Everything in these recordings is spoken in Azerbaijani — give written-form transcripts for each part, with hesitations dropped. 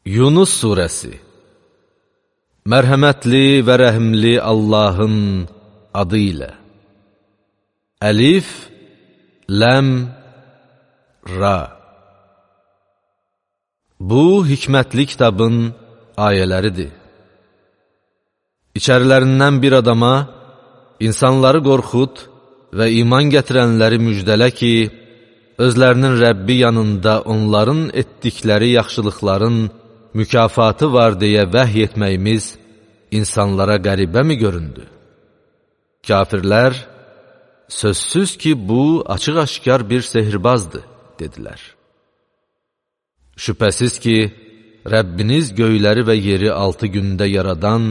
Yunus surəsi. Mərhəmətli və rəhimli Allahın adı ilə. Əlif, ləm, ra. Bu, hikmətli kitabın ayələridir. İçərilərindən bir adama, insanları qorxud və iman gətirənləri müjdələ ki, özlərinin Rəbbi yanında onların etdikləri yaxşılıqların mükafatı var deyə vəhy etməyimiz insanlara qəribəmi göründü? Kafirlər, sözsüz ki, bu açıq-aşkar bir sehirbazdır, dedilər. Şübhəsiz ki, Rəbbiniz göyləri və yeri 6 gündə yaradan,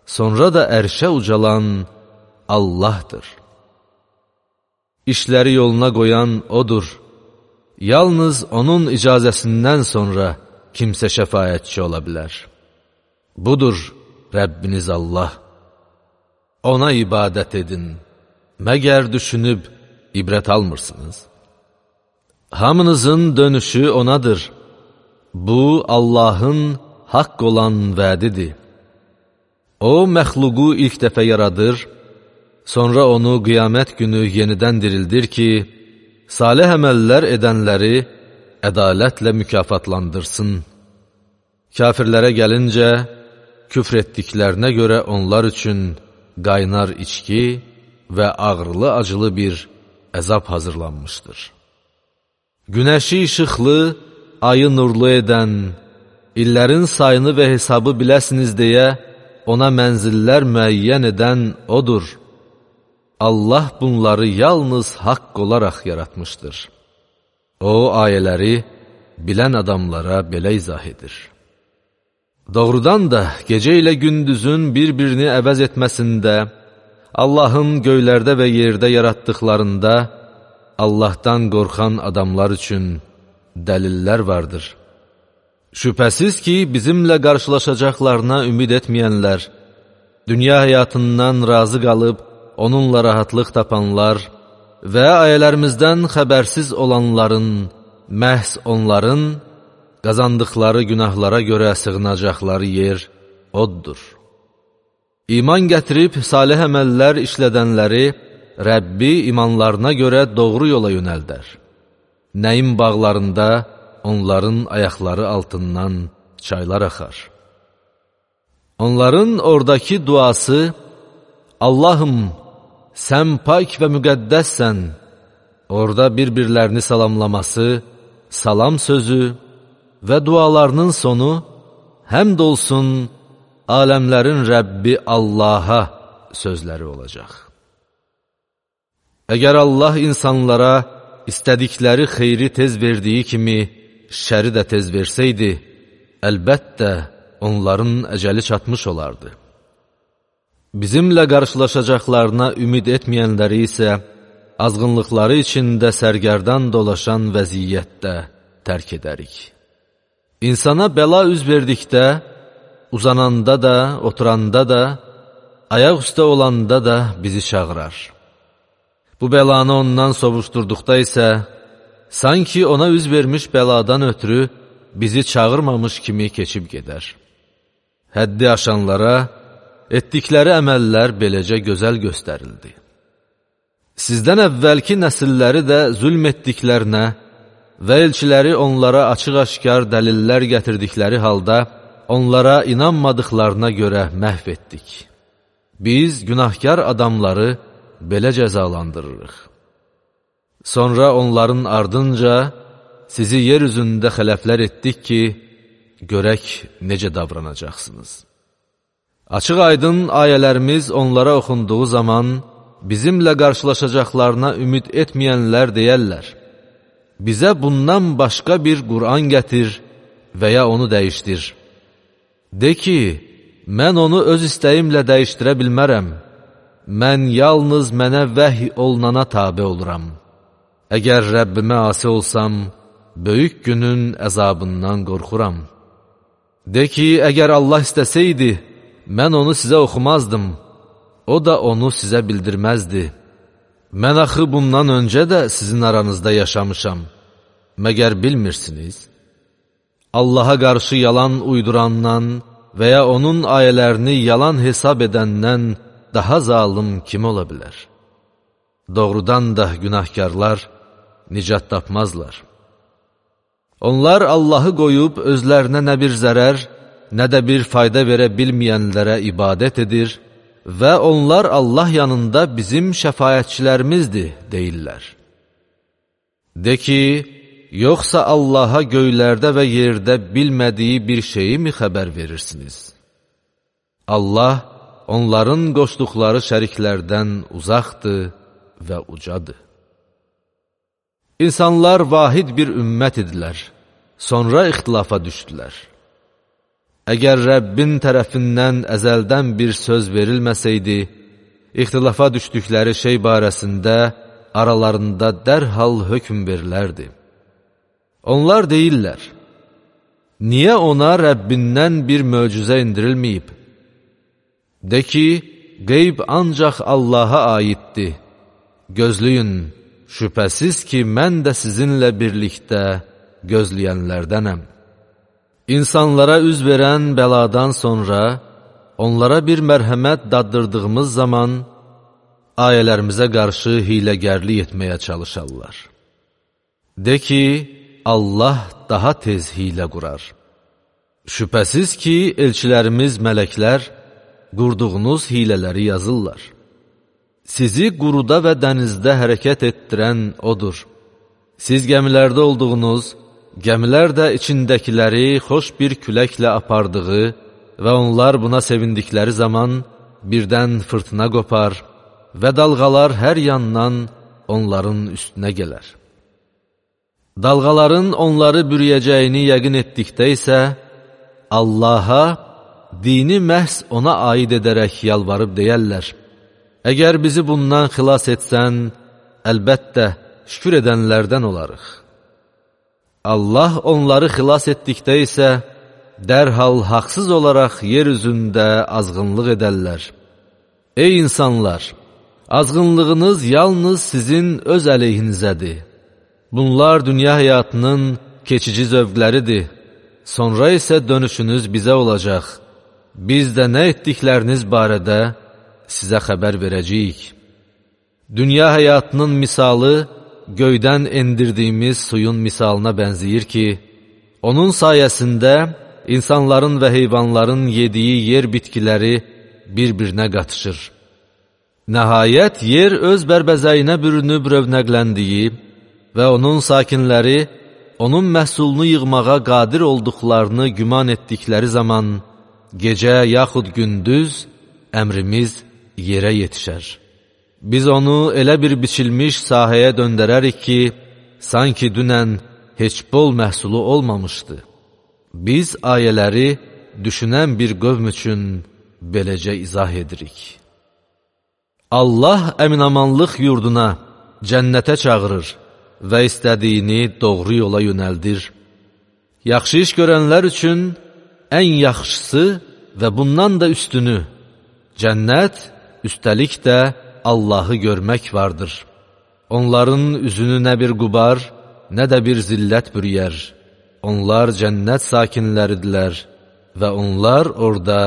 sonra da ərşə ucalan Allahdır. İşləri yoluna qoyan O'dur. Yalnız O'nun icazəsindən sonra kimsə şəfaətçi ola bilər. Budur Rəbbiniz Allah. Ona ibadət edin. Məgər düşünüb ibrət almırsınız? Hamınızın dönüşü O'nadır. Bu, Allahın haqq olan vədidir. O, məxluqu ilk dəfə yaradır, sonra onu qiyamət günü yenidən dirildir ki, salih əməllər edənləri ədalətlə mükafatlandırsın. Kafirlərə gəlincə, küfr etdiklərinə görə onlar üçün qaynar içki və ağrılı-acılı bir əzab hazırlanmışdır. Günəşi işıqlı, ayı nurlu edən, illərin sayını və hesabı biləsiniz deyə ona mənzillər müəyyən edən O'dur. Allah bunları yalnız haqq olaraq yaratmışdır. O, ayələri bilən adamlara belə izah edir. Doğrudan da gecə ilə gündüzün bir-birini əvəz etməsində, Allahın göylərdə və yerdə yaratdıqlarında, Allahdan qorxan adamlar üçün dəlillər vardır. Şübhəsiz ki, bizimlə qarşılaşacaqlarına ümid etməyənlər, dünya həyatından razı qalıb, onunla rahatlıq tapanlar və ayələrimizdən xəbərsiz olanların, məhz onların qazandıqları günahlara görə sığınacaqları yer O'dur. İman gətirib salih əməllər işlədənləri Rəbbi imanlarına görə doğru yola yönəldər. Nəyin bağlarında onların ayaqları altından çaylar axar. Onların oradakı duası, Allahım, sən pak və müqəddəssən, orada bir-birlərini salamlaması, salam sözü və dualarının sonu, həmd olsun aləmlərin Rəbbi Allaha sözləri olacaq. Əgər Allah insanlara istədikləri xeyri tez verdiyi kimi, şəri də tez versəydi, əlbəttə onların əcəli çatmış olardı. Bizimlə qarşılaşacaqlarına ümid etməyənləri isə, azğınlıqları içində sərgərdan dolaşan vəziyyətdə tərk edərik. İnsana bəla üz verdikdə, uzananda da, oturanda da, ayaq üstə olanda da bizi çağırar. Bu bəlanı ondan sovuşturduqda isə, sanki ona üz vermiş bəladan ötürü bizi çağırmamış kimi keçib gedər. Həddi aşanlara etdikləri əməllər beləcə gözəl göstərildi. Sizdən əvvəlki nəsilləri də zülm etdiklərinə və elçiləri onlara açıq-aşkar dəlillər gətirdikləri halda onlara inanmadıqlarına görə məhv etdik. Biz günahkar adamları belə cəzalandırırıq. Sonra onların ardınca sizi yer üzündə xələflər etdik ki, görək necə davranacaqsınız. Açıq-aydın ayələrimiz onlara oxunduğu zaman, bizimlə qarşılaşacaqlarına ümid etməyənlər deyərlər, bizə bundan başqa bir Qur'an gətir və ya onu dəyişdir. De ki, mən onu öz istəyimlə dəyişdirə bilmərəm. Mən yalnız mənə vəhy olunana tabe oluram. Əgər Rəbbimə asi olsam, böyük günün əzabından qorxuram. De ki, əgər Allah istəsəydi, mən onu sizə oxumazdım, o da onu sizə bildirməzdi. Mən axı bundan öncə də sizin aranızda yaşamışam, məgər bilmirsiniz? Allaha qarşı yalan uydurandan və ya onun ayələrini yalan hesab edəndən daha zalım kim ola bilər? Doğrudan da günahkarlar nicat tapmazlar. Onlar Allahı qoyub özlərinə nə bir zərər, nə də bir fayda verə bilməyənlərə ibadət edir və onlar Allah yanında bizim şəfaətçilərimizdir deyirlər. De ki, yoxsa Allaha göylərdə və yerdə bilmədiyi bir şeyi mi xəbər verirsiniz? Allah onların qoşduqları şəriklərdən uzaqdır və ucadır. İnsanlar vahid bir ümmət idilər, sonra ixtilafa düşdülər. Əgər Rəbbin tərəfindən əzəldən bir söz verilməsəydi, ixtilafa düşdükləri şey barəsində aralarında dərhal hökm verilərdi. Onlar deyirlər, niyə ona Rəbbindən bir möcüzə indirilməyib? De ki, qeyb ancaq Allaha aiddir. Gözləyin, şübhəsiz ki, mən də sizinlə birlikdə gözləyənlərdənəm. İnsanlara üz verən bəladan sonra, onlara bir mərhəmət daddırdığımız zaman, ayələrimizə qarşı hiləgərlik etməyə çalışarlar. De ki, Allah daha tez hilə qurar. Şübhəsiz ki, elçilərimiz mələklər, qurduğunuz hilələri yazırlar. Sizi quruda və dənizdə hərəkət etdirən odur. Siz gəmilərdə olduğunuz, gəmilər də içindəkiləri xoş bir küləklə apardığı və onlar buna sevindikləri zaman birdən fırtına qopar və dalğalar hər yandan onların üstünə gələr. Dalğaların onları bürüyəcəyini yəqin etdikdə isə Allaha dini məhz ona aid edərək yalvarıb deyərlər. Əgər bizi bundan xilas etsən, əlbəttə şükür edənlərdən olarıq. Allah onları xilas etdikdə isə dərhal haqsız olaraq yer üzündə azğınlıq edərlər. Ey insanlar! Azğınlığınız yalnız sizin öz əleyhinizədir. Bunlar dünya həyatının keçici zövqləridir. Sonra isə dönüşünüz bizə olacaq. Biz də nə etdikləriniz barədə sizə xəbər verəcəyik. Dünya həyatının misalı göydən endirdiyimiz suyun misalına bənzəyir ki, onun sayəsində insanların və heyvanların yediyi yer bitkiləri bir-birinə qatışır. Nəhayət, yer öz bərbəzəyinə bürünüb rövnəqləndiyi və onun sakinləri onun məhsulunu yığmağa qadir olduqlarını güman etdikləri zaman gecə yaxud gündüz əmrimiz yerə yetişər. Biz onu elə bir biçilmiş sahəyə döndərərik ki, sanki dünən heç bol məhsulu olmamışdı. Biz ayələri düşünən bir qövm üçün beləcə izah edirik. Allah əminamanlıq yurduna, cənnətə çağırır və istədiyini doğru yola yönəldir. Yaxşı iş görənlər üçün ən yaxşısı və bundan da üstünü, cənnət, üstəlik də Allahı görmək vardır. Onların üzünü nə bir qubar, nə də bir zillət bürüyər. Onlar cənnət sakinləridirlər və onlar orada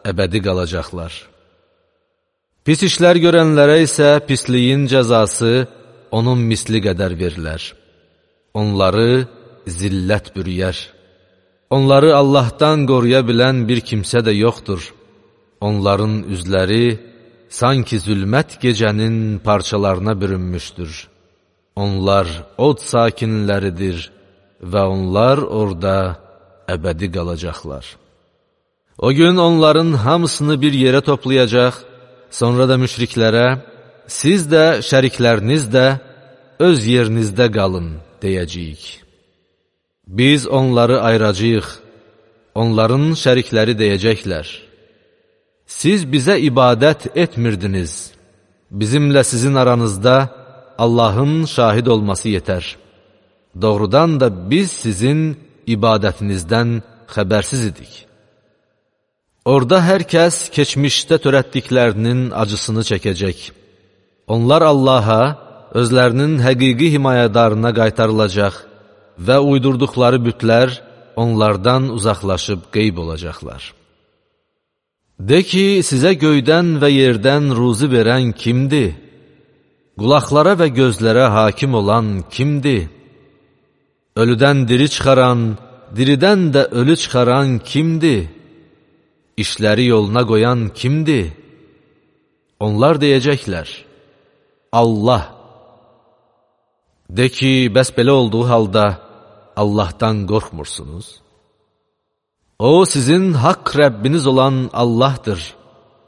əbədi qalacaqlar. Pis işlər görənlərə isə pisliyin cəzası onun misli qədər verilər. Onları zillət bürüyər. Onları Allahdan qoruya bilən bir kimsə də yoxdur. Onların üzləri sanki zülmət gecənin parçalarına bürünmüşdür. Onlar od sakinləridir və onlar orada əbədi qalacaqlar. O gün onların hamısını bir yerə toplayacaq, sonra da müşriklərə, siz də, şərikləriniz də öz yerinizdə qalın, deyəcəyik. Biz onları ayıracağıq, onların şərikləri deyəcəklər. Siz bizə ibadət etmirdiniz, bizimlə sizin aranızda Allahın şahid olması yetər. Doğrudan da biz sizin ibadətinizdən xəbərsiz idik. Orada hər kəs keçmişdə törətdiklərinin acısını çəkəcək. Onlar Allaha, özlərinin həqiqi himayədarına qaytarılacaq və uydurduqları bütlər onlardan uzaqlaşıb qeyb olacaqlar. De ki, sizə göydən və yerdən ruzi verən kimdir? Qulaqlara və gözlərə hakim olan kimdir? Ölüdən diri çıxaran, diridən də ölü çıxaran kimdir? İşləri yoluna qoyan kimdir? Onlar deyəcəklər, Allah. De ki, bəs belə olduğu halda Allahdan qorxmursunuz. O, sizin haqq Rəbbiniz olan Allahdır.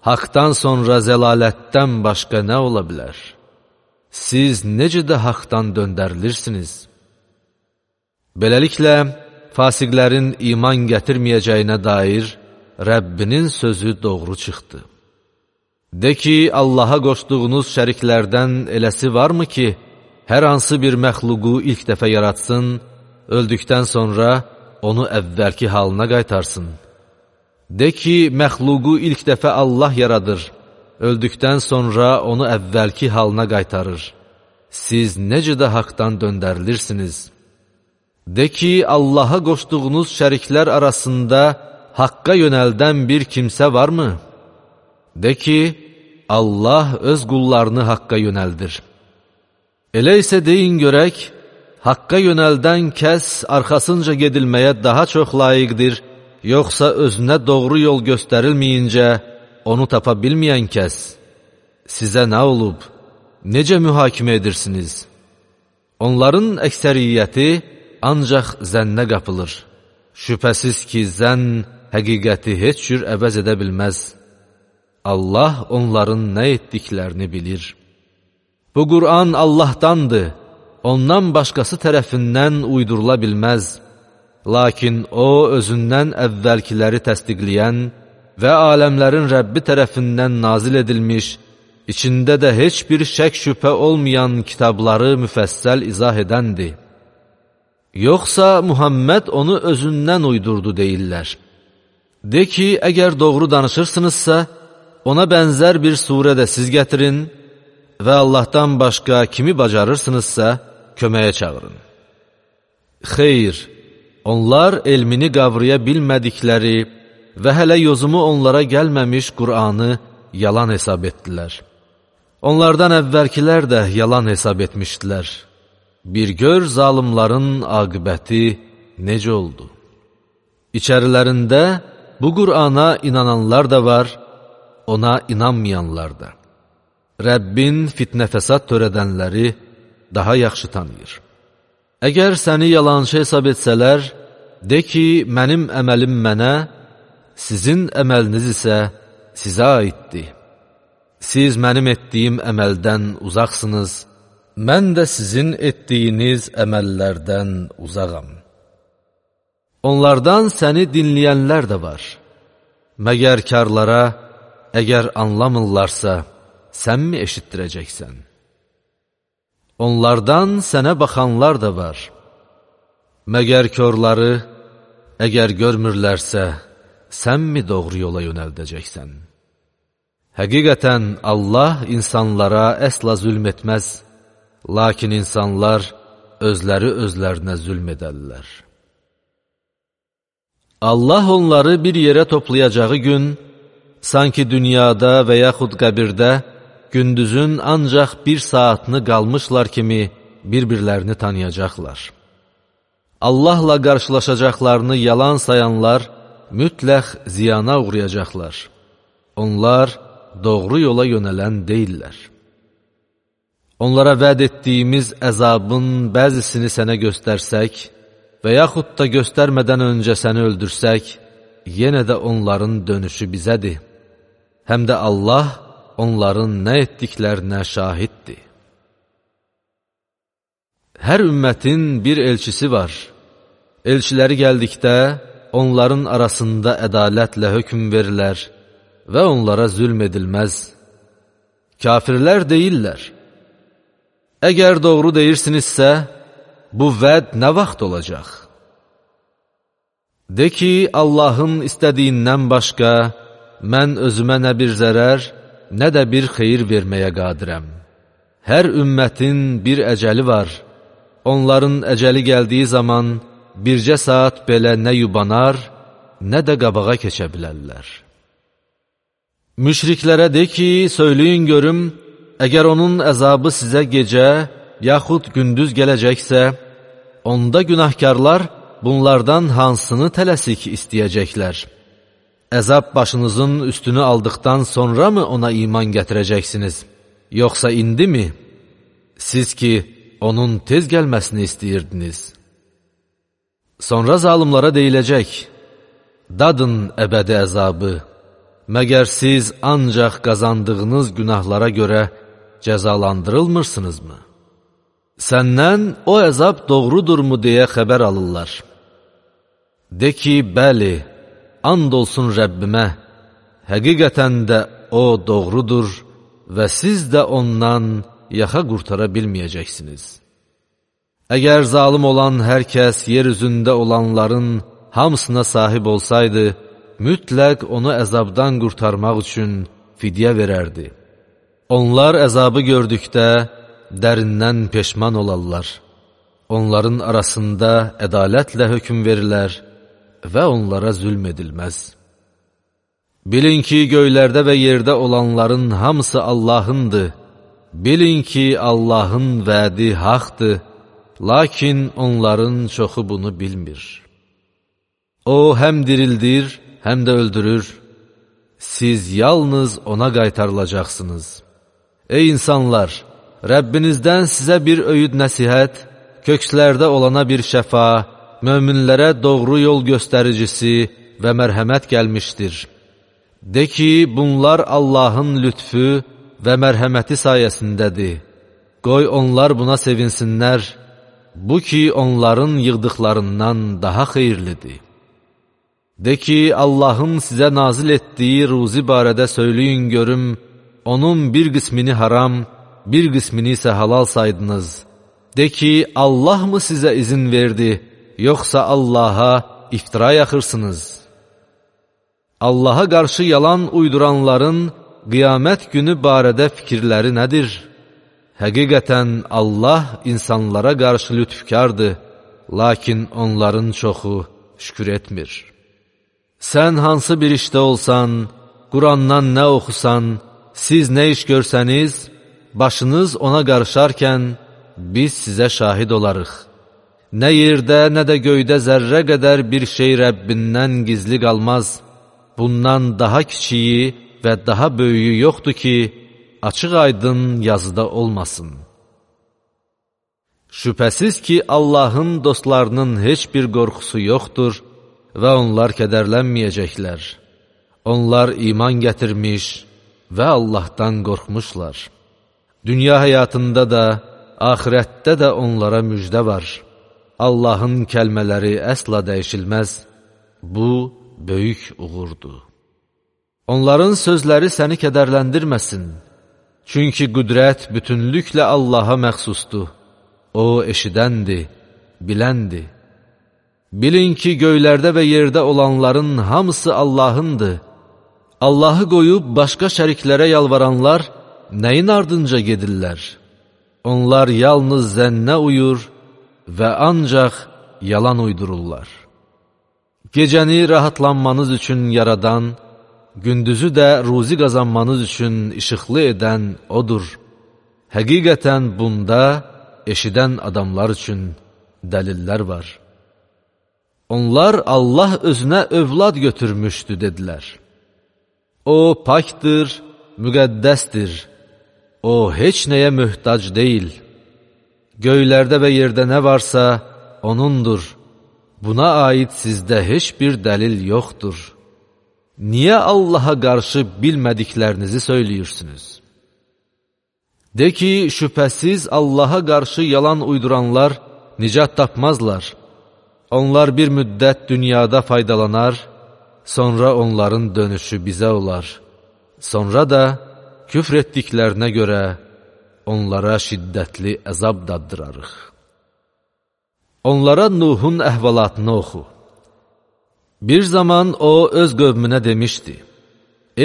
Haqdan sonra zəlalətdən başqa nə ola bilər? Siz necə də haqdan döndərilirsiniz? Beləliklə, fasiqlərin iman gətirməyəcəyinə dair Rəbbinin sözü doğru çıxdı. De ki, Allaha qoşduğunuz şəriklərdən eləsi varmı ki, hər hansı bir məxluqu ilk dəfə yaratsın, öldükdən sonra onu əvvəlki halına qaytarsın. De ki, məxluqu ilk dəfə Allah yaradır, öldükdən sonra onu əvvəlki halına qaytarır. Siz necə də haqdan döndərilirsiniz? De ki, Allaha qoşduğunuz şəriklər arasında haqqa yönəldən bir kimsə varmı? De ki, Allah öz qullarını haqqa yönəldir. Elə isə deyin görək, haqqa yönəldən kəs arxasınca gedilməyə daha çox layiqdir, yoxsa özünə doğru yol göstərilməyincə onu tapa bilməyən kəs? Sizə nə olub? Necə mühakimə edirsiniz? Onların əksəriyyəti ancaq zənnə qapılır. Şübhəsiz ki, zənn həqiqəti heç cür əvəz edə bilməz. Allah onların nə etdiklərini bilir. Bu Qur'an Allahdandır, ondan başqası tərəfindən uydurula bilməz. Lakin o, özündən əvvəlkiləri təsdiqləyən və aləmlərin Rəbbi tərəfindən nazil edilmiş, içində də heç bir şək şübhə olmayan kitabları müfəssəl izah edəndir. Yoxsa Muhammed onu özündən uydurdu deyirlər. De ki, əgər doğru danışırsınızsa, ona bənzər bir surə də siz gətirin və Allahdan başqa kimi bacarırsınızsa, köməyə çağırın. Xeyr, onlar elmini qavraya bilmədikləri və hələ yozumu onlara gəlməmiş Qur'anı yalan hesab etdilər. Onlardan əvvəlkilər də yalan hesab etmişdilər. Bir gör zalimların aqibəti necə oldu? İçərilərində bu Qur'ana inananlar da var, ona inanmayanlar da. Rəbbin fitnə fəsad törədənləri daha yaxşı tanıyır. Əgər səni yalançı hesab etsələr, de ki, mənim əməlim mənə, sizin əməliniz isə sizə aiddir. Siz mənim etdiyim əməldən uzaqsınız, mən də sizin etdiyiniz əməllərdən uzaqam. Onlardan səni dinləyənlər də var. Məgər karlara, əgər anlamırlarsa, sən mi eşitdirəcəksən? Onlardan sənə baxanlar da var. Məgər körləri, əgər görmürlərsə, sən mi doğru yola yönəldəcəksən? Həqiqətən Allah insanlara əsla zülm etməz, lakin insanlar özləri özlərinə zülm edərlər. Allah onları bir yerə toplayacağı gün, sanki dünyada və yaxud qəbirdə gündüzün ancaq bir saatını qalmışlar kimi bir-birlərini tanıyacaqlar. Allahla qarşılaşacaqlarını yalan sayanlar mütləq ziyana uğrayacaqlar. Onlar doğru yola yönələn deyillər. Onlara vəd etdiyimiz əzabın bəzisini sənə göstərsək və yaxud da göstərmədən öncə səni öldürsək, yenə də onların dönüşü bizədir. Həm də Allah onların nə etdiklərinə şahiddir. Hər ümmətin bir elçisi var. Elçiləri gəldikdə onların arasında ədalətlə hökm verilər və onlara zülm edilməz. Kafirlər deyirlər, əgər doğru deyirsinizsə, bu vəd nə vaxt olacaq? De ki, Allahın istədiyindən başqa, mən özümə nə bir zərər, nə də bir xeyir verməyə qadirəm. Hər ümmətin bir əcəli var. Onların əcəli gəldiyi zaman, bircə saat belə nə yubanar, nə də qabağa keçə bilərlər. Müşriklərə de ki, söyləyin görüm, əgər onun əzabı sizə gecə, yaxud gündüz gələcəksə, onda günahkarlar bunlardan hansını tələsik istəyəcəklər? Əzab başınızın üstünü aldıqdan sonra mı ona iman gətirəcəksiniz? Yoxsa indi mi? Siz ki, onun tez gəlməsini istəyirdiniz. Sonra zalımlara deyiləcək, dadın əbədi əzabı, məgər siz ancaq qazandığınız günahlara görə cəzalandırılmırsınızmı? Səndən o əzab doğrudurmu deyə xəbər alırlar. De ki, bəli, and olsun Rəbbimə, həqiqətən də o doğrudur və siz də ondan yaxa qurtara bilməyəcəksiniz. Əgər zalım olan hər kəs yer üzündə olanların hamısına sahib olsaydı, mütləq onu əzabdan qurtarmaq üçün fidyə verərdi. Onlar əzabı gördükdə dərindən peşman olarlar. Onların arasında ədalətlə hökm verilər və onlara zülm edilməz. Bilin ki, göylərdə və yerdə olanların hamısı Allahındır. Bilin ki, Allahın vədi haqdır, lakin onların çoxu bunu bilmir. O, həm dirildir, həm də öldürür. Siz yalnız ona qaytarılacaqsınız. Ey insanlar! Rəbbinizdən sizə bir öyüd nəsihət, kökslərdə olana bir şəfa, möminlərə doğru yol göstəricisi və mərhəmət gəlmişdir. De ki, bunlar Allahın lütfü və mərhəməti sayəsindədir. Qoy onlar buna sevinsinlər, bu ki, onların yığdıqlarından daha xeyirlidir. De ki, Allahın sizə nazil etdiyi ruzi barədə söyləyin görüm, onun bir qismini haram, bir qismini isə halal saydınız. De ki, Allah mı sizə izin verdi, yoxsa Allaha iftira yaxırsınız? Allaha qarşı yalan uyduranların qiyamət günü barədə fikirləri nədir? Həqiqətən Allah insanlara qarşı lütfkardır, lakin onların çoxu şükür etmir. Sən hansı bir işdə olsan, Qurandan nə oxusan, siz nə iş görsəniz, başınız ona qarışarkən biz sizə şahid olarıq. Nə yerdə, nə də göydə zərrə qədər bir şey Rəbbindən gizli qalmaz. Bundan daha kiçiyi və daha böyüyü yoxdur ki, açıq aydın yazıda olmasın. Şübhəsiz ki, Allahın dostlarının heç bir qorxusu yoxdur və onlar kədərlənməyəcəklər. Onlar iman gətirmiş və Allahdan qorxmuşlar. Dünya həyatında da, axirətdə də onlara müjdə var. Allahın kəlmələri əsla dəyişilməz. Bu, böyük uğurdur. Onların sözləri səni kədərləndirməsin. Çünki qüdrət bütünlüklə Allaha məxsusdur. O, eşidəndir, biləndir. Bilin ki, göylərdə və yerdə olanların hamısı Allahındır. Allahı qoyub başqa şəriklərə yalvaranlar nəyin ardınca gedirlər? Onlar yalnız zənnə uyur və ancaq yalan uydururlar. Gecəni rahatlanmanız üçün yaradan, gündüzü də ruzi qazanmanız üçün işıqlı edən odur. Həqiqətən bunda eşidən adamlar üçün dəlillər var. Onlar Allah özünə övlad götürmüşdü, dedilər. O, pakdır, müqəddəsdir. O, heç nəyə möhtac deyil. Göylərdə və yerdə nə varsa, O'nundur. Buna aid sizdə heç bir dəlil yoxdur. Niyə Allaha qarşı bilmədiklərinizi söyləyirsiniz? De ki, şübhəsiz Allaha qarşı yalan uyduranlar nicat tapmazlar. Onlar bir müddət dünyada faydalanar, sonra onların dönüşü bizə olar. Sonra da küfr etdiklərinə görə onlara şiddətli əzab daddırarıq. Onlara Nuhun əhvalatını oxu. Bir zaman o öz qövmünə demişdi: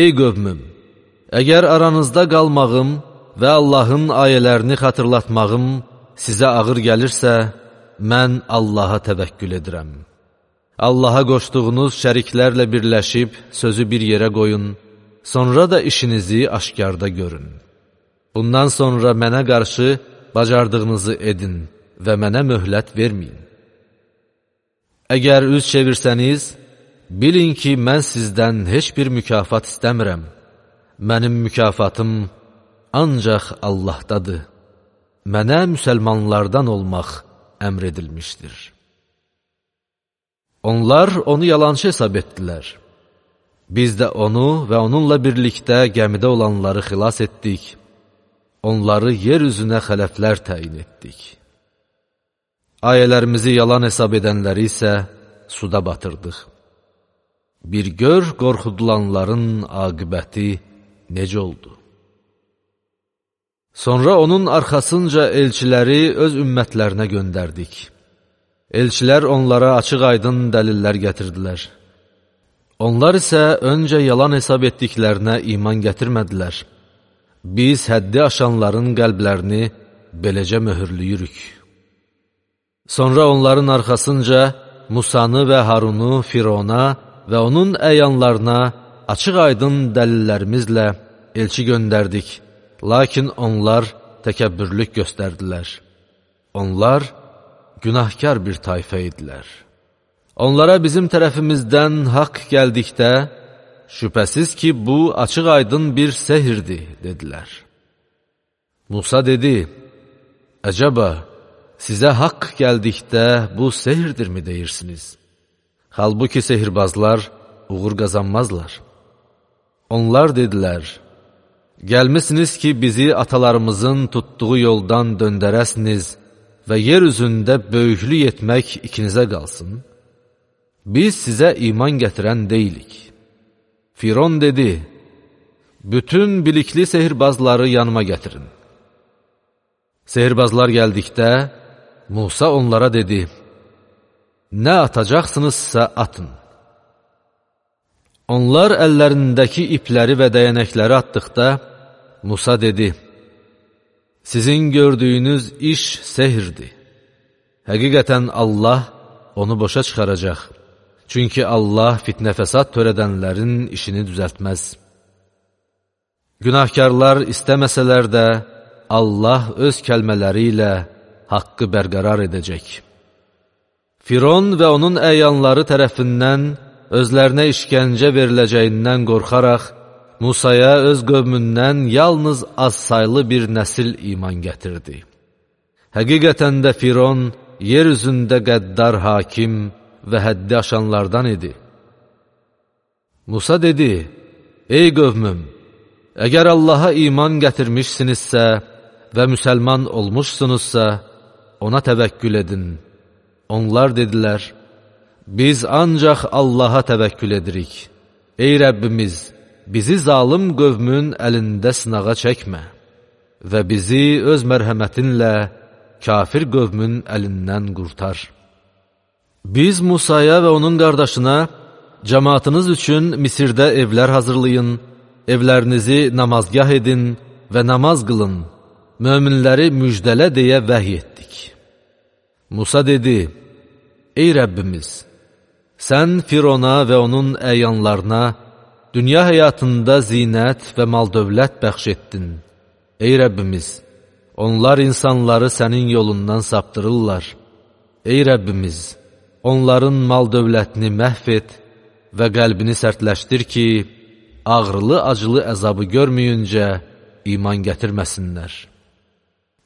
Ey qövmüm, əgər aranızda qalmağım və Allahın ayələrini xatırlatmağım sizə ağır gəlirsə, mən Allaha təvəkkül edirəm. Allaha qoşduğunuz şəriklərlə birləşib sözü bir yerə qoyun, sonra da işinizi aşkarda görün. Bundan sonra mənə qarşı bacardığınızı edin və mənə möhlət verməyin. Əgər üz çevirsəniz, bilin ki, mən sizdən heç bir mükafat istəmirəm. Mənim mükafatım ancaq Allahdadır. Mənə müsəlmanlardan olmaq əmr edilmişdir. Onlar onu yalançı hesab etdilər. Biz də onu və onunla birlikdə gəmidə olanları xilas etdik. Onları yer üzünə xələflər təyin etdik. Ayələrimizi yalan hesab edənləri isə suda batırdıq. Bir gör qorxudulanların aqibəti necə oldu? Sonra onun arxasınca elçiləri öz ümmətlərinə göndərdik. Elçilər onlara açıq-aydın dəlillər gətirdilər. Onlar isə öncə yalan hesab etdiklərinə iman gətirmədilər. Biz həddi aşanların qəlblərini beləcə möhürlüyürük. Sonra onların arxasınca Musanı və Harunu Firona və onun əyanlarına açıq-aydın dəlillərimizlə elçi göndərdik. Lakin onlar təkəbbürlük göstərdilər. Onlar günahkar bir tayfə idilər. Onlara bizim tərəfimizdən haqq gəldikdə, şübhəsiz ki, bu açıq-aydın bir sehirdir, dedilər. Musa dedi, əcəba, sizə haqq gəldikdə bu sehirdirmi deyirsiniz? Halbuki sehirbazlar uğur qazanmazlar. Onlar dedilər, gəlmisiniz ki, bizi atalarımızın tutduğu yoldan döndərəsiniz və yer üzündə böyüklük etmək ikinizə qalsın. Biz sizə iman gətirən deyilik. Firon dedi, bütün bilikli sehirbazları yanıma gətirin. Sehirbazlar gəldikdə, Musa onlara dedi, nə atacaqsınızsa atın. Onlar əllərindəki ipləri və dəyənəkləri atdıqda, Musa dedi, sizin gördüyünüz iş sehirdir. Həqiqətən Allah onu boşa çıxaracaq. Çünki Allah fitnə-fəsad törədənlərin işini düzəltməz. Günahkarlar istəməsələr də, Allah öz kəlmələri ilə haqqı bərqərar edəcək. Firon və onun əyanları tərəfindən özlərinə işgəncə veriləcəyindən qorxaraq, Musaya öz qövmündən yalnız az saylı bir nəsil iman gətirdi. Həqiqətən də Firon yer üzündə qəddar hakim və həddi aşanlardan idi. Musa dedi, ey qövmüm, əgər Allaha iman gətirmişsinizsə və müsəlman olmuşsunuzsa, ona təvəkkül edin. Onlar dedilər, biz ancaq Allaha təvəkkül edirik. Ey Rəbbimiz, bizi zalım qövmün əlində sınağa çəkmə və bizi öz mərhəmətinlə kafir qövmün əlindən qurtar. Biz Musaya və onun qardaşına, cəmaatınız üçün Misirdə evlər hazırlayın, evlərinizi namazgah edin və namaz qılın, möminləri müjdələ deyə vəhy etdik. Musa dedi, ey Rəbbimiz, sən Firona və onun əyanlarına dünya həyatında zinət və mal-dövlət bəxş etdin. Ey Rəbbimiz, onlar insanları sənin yolundan saptırırlar. Ey Rəbbimiz, onların mal-dövlətini məhv et və qəlbini sərtləşdir ki, ağrılı-acılı əzabı görməyincə iman gətirməsinlər.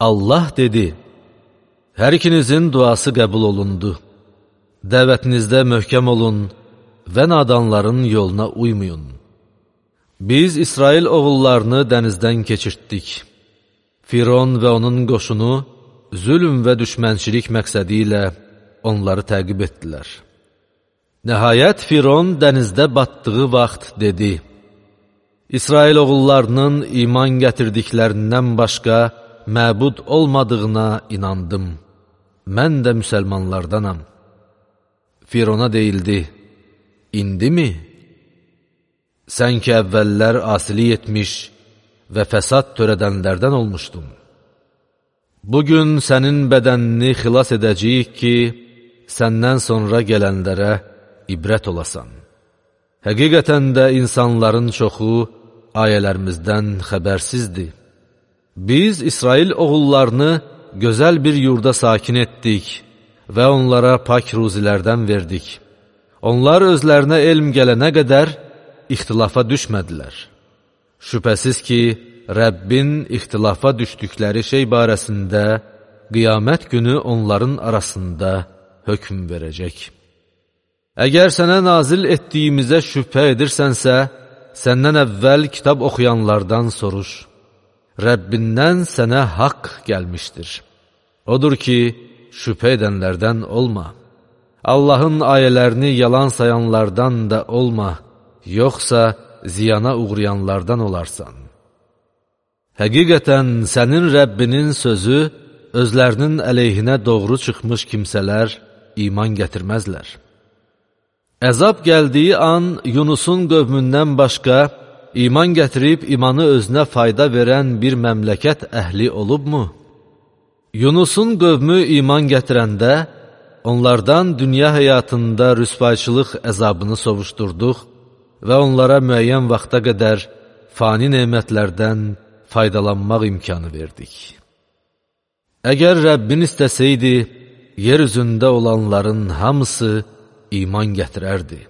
Allah dedi, hər ikinizin duası qəbul olundu. Dəvətinizdə möhkəm olun və nadanların yoluna uymayın. Biz İsrail oğullarını dənizdən keçirtdik. Firon və onun qoşunu zülm və düşmənçilik məqsədi ilə onları təqib etdilər. Nəhayət Firon dənizdə batdığı vaxt dedi, İsrail oğullarının iman gətirdiklərindən başqa məbud olmadığına inandım. Mən də müsəlmanlardanam. Firona deyildi, indimi? Sən ki, əvvəllər asilik etmiş və fəsad törədənlərdən olmuşdun. Bugün sənin bədənini xilas edəcəyik ki, səndən sonra gələnlərə ibrət olasan. Həqiqətən də insanların çoxu ayələrimizdən xəbərsizdir. Biz İsrail oğullarını gözəl bir yurda sakin etdik və onlara pak ruzilərdən verdik. Onlar özlərinə elm gələnə qədər ixtilafa düşmədilər. Şübhəsiz ki, Rəbbin ixtilafa düşdükləri şey barəsində qiyamət günü onların arasında hökm verəcək. Əgər sənə nazil etdiyimizə şübhə edirsənsə, səndən əvvəl kitab oxuyanlardan soruş. Rəbbindən sənə haqq gəlmişdir. Odur ki, şübhə edənlərdən olma. Allahın ayələrini yalan sayanlardan da olma, yoxsa ziyana uğrayanlardan olarsan. Həqiqətən sənin Rəbbinin sözü özlərinin əleyhinə doğru çıxmış kimsələr iman gətirməzlər. Əzab gəldiyi an Yunusun qövmündən başqa iman gətirib imanı özünə fayda verən bir məmləkət əhli olubmu? Yunusun qövmü iman gətirəndə onlardan dünya həyatında rüsvayçılıq əzabını sovuşdurduq və onlara müəyyən vaxta qədər fani nemətlərdən faydalanmaq imkanı verdik. Əgər Rəbbin istəsəydi, yer üzündə olanların hamısı iman gətirərdi.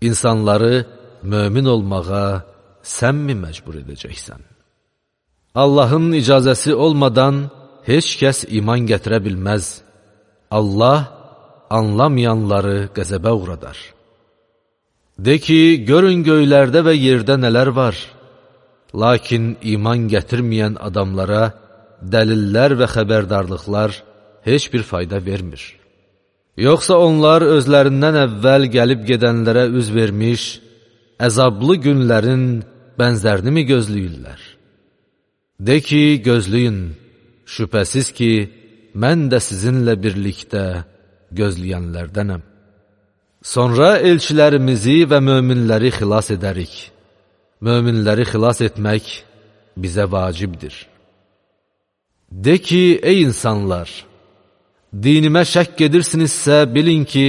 İnsanları mömin olmağa sənmi məcbur edəcəksən? Allahın icazəsi olmadan heç kəs iman gətirə bilməz. Allah anlamayanları qəzəbə uğradar. De ki, görün göylərdə və yerdə nələr var. Lakin iman gətirməyən adamlara dəlillər və xəbərdarlıqlar heç bir fayda vermir. Yoxsa onlar özlərindən əvvəl gəlib gedənlərə üz vermiş, əzablı günlərin bənzərini mi gözləyirlər? De ki, gözləyin, şübhəsiz ki, mən də sizinlə birlikdə gözləyənlərdənəm. Sonra elçilərimizi və möminləri xilas edərik. Möminləri xilas etmək bizə vacibdir. De ki, ey insanlar, dinimə şəkk edirsinizsə bilin ki,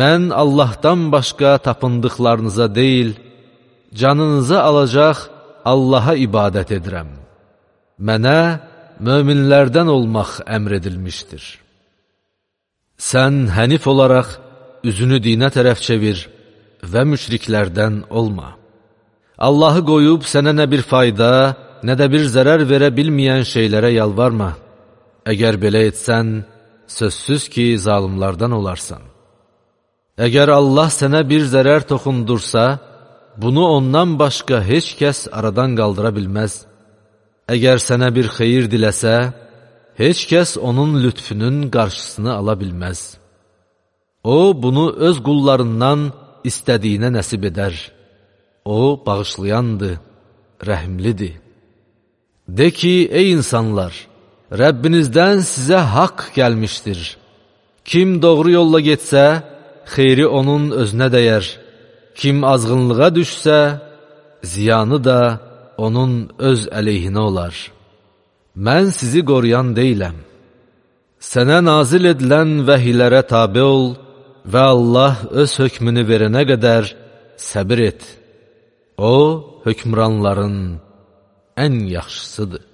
mən Allahdan başqa tapındıqlarınıza deyil, canınızı alacaq Allaha ibadət edirəm. Mənə möminlərdən olmaq əmr edilmişdir. Sən hənif olaraq üzünü dinə tərəf çevir və müşriklərdən olma. Allahı qoyub sənə nə bir fayda, nə də bir zərər verə bilməyən şeylərə yalvarma. Əgər belə etsən, sözsüz ki, zalimlardan olarsan. Əgər Allah sənə bir zərər toxundursa, bunu ondan başqa heç kəs aradan qaldıra bilməz. Əgər sənə bir xeyir diləsə, heç kəs onun lütfünün qarşısını ala bilməz. O, bunu öz qullarından istədiyinə nəsib edər. O, bağışlayandır, rəhimlidir. De ki, ey insanlar, Rəbbinizdən sizə haqq gəlmişdir. Kim doğru yolla getsə, xeyri onun özünə dəyər. Kim azğınlığa düşsə, ziyanı da onun öz əleyhinə olar. Mən sizi qoruyan deyiləm. Sənə nazil edilən vəhiylərə tabe ol və Allah öz hökmünü verənə qədər səbir et. O, hökmranların ən yaxşısıdır.